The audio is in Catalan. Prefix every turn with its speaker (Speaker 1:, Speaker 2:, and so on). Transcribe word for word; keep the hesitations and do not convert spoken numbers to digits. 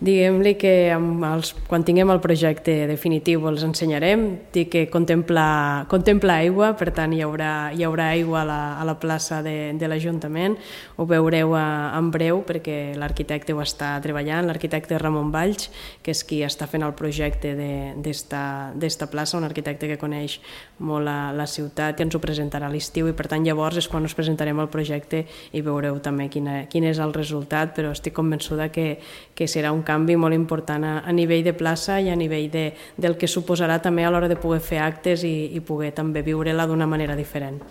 Speaker 1: Diguem-li que amb els, quan tinguem el projecte definitiu els ensenyarem, dic que contempla, contempla aigua, per tant hi haurà, hi haurà aigua a la, a la plaça de, de l'Ajuntament, ho veureu a, en breu perquè l'arquitecte ho està treballant, l'arquitecte Ramon Valls, que és qui està fent el projecte d'esta plaça, un arquitecte que coneix molt la, la ciutat i ens ho presentarà a l'estiu i per tant llavors és quan us presentarem el projecte i veureu també quina, quin és el resultat, però estic convençuda que, que serà un canvi molt important a, a nivell de plaça i a nivell de, del que suposarà també a l'hora de poder fer actes i, i poder també viure-la d'una manera diferent.